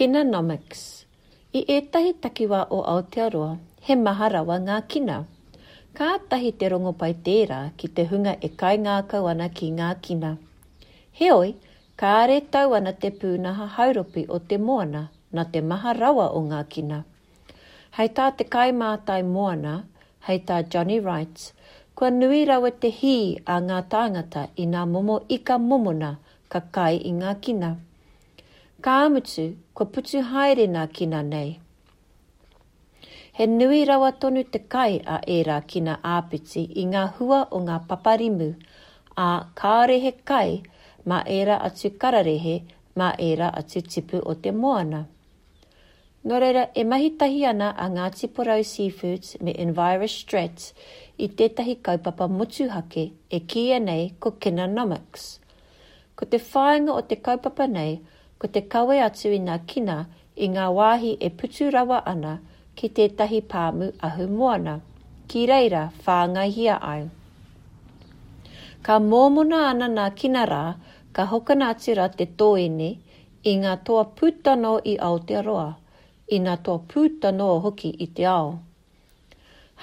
Kinanomics. I ētahi takiwā o Aotearoa, he maha rawa ngā kina. Kātahi te rongopai tērā ki te hunga e kaingākau ana ki ngā kina. Heoi, kāre tau ana te pūnaha hauropi o te moana nā te maha rawa o ngā kina. Hei tā te kaimātai moana, hei tā Johnny Wright, kua nui rawa te hī a ngā tāngata i nā momo ika momona ka kai i ngā kina. Ka mutu, kua putu haere nā kina nei. He nui rawa tonu te kai a ērā kina āpiti i ngā hua o ngā paparimu, ā, kāore he kai mā ērā atu kararehe, mā ērā atu tipu o te moana. Nō reira, e mahi tahi ana a Ngāti Porou Seafoods me Envirostrat i tētahi kaupapa motuhake e kīia nei ko Kinanomics. Ko te whāinga o te kaupapa nei ko te kawe atu i ngā kina i ngā wāhi e putu rawa ana ki tētahi pāmu ahumoana, ki reira whāngaihia ai. Ka mōmona ana nā kina rā, ka hokona atu rā te tōene I ngā toa puta noa i Aotearoa, i ngā toa puta noa hoki i te ao.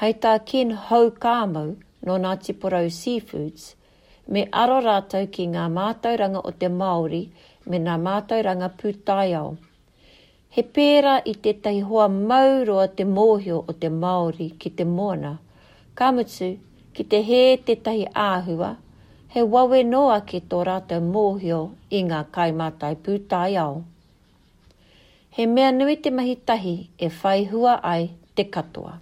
Hei tā Ken Houkāmau nō Ngāti Porou Seafoods, me aro rātou ki ngā mātauranga o te Māori me ngā mātauranga pūtaiao. He pērā i tētahi hoa mau roa te mōhio o te Māori ki te moana, ka mutu, ki te hē tētahi āhua, he wawe noa ake tō rātou mōhio i ngā kaimātai pūtaiao. He mea nui te mahi tahi e whai hua ai te katoa.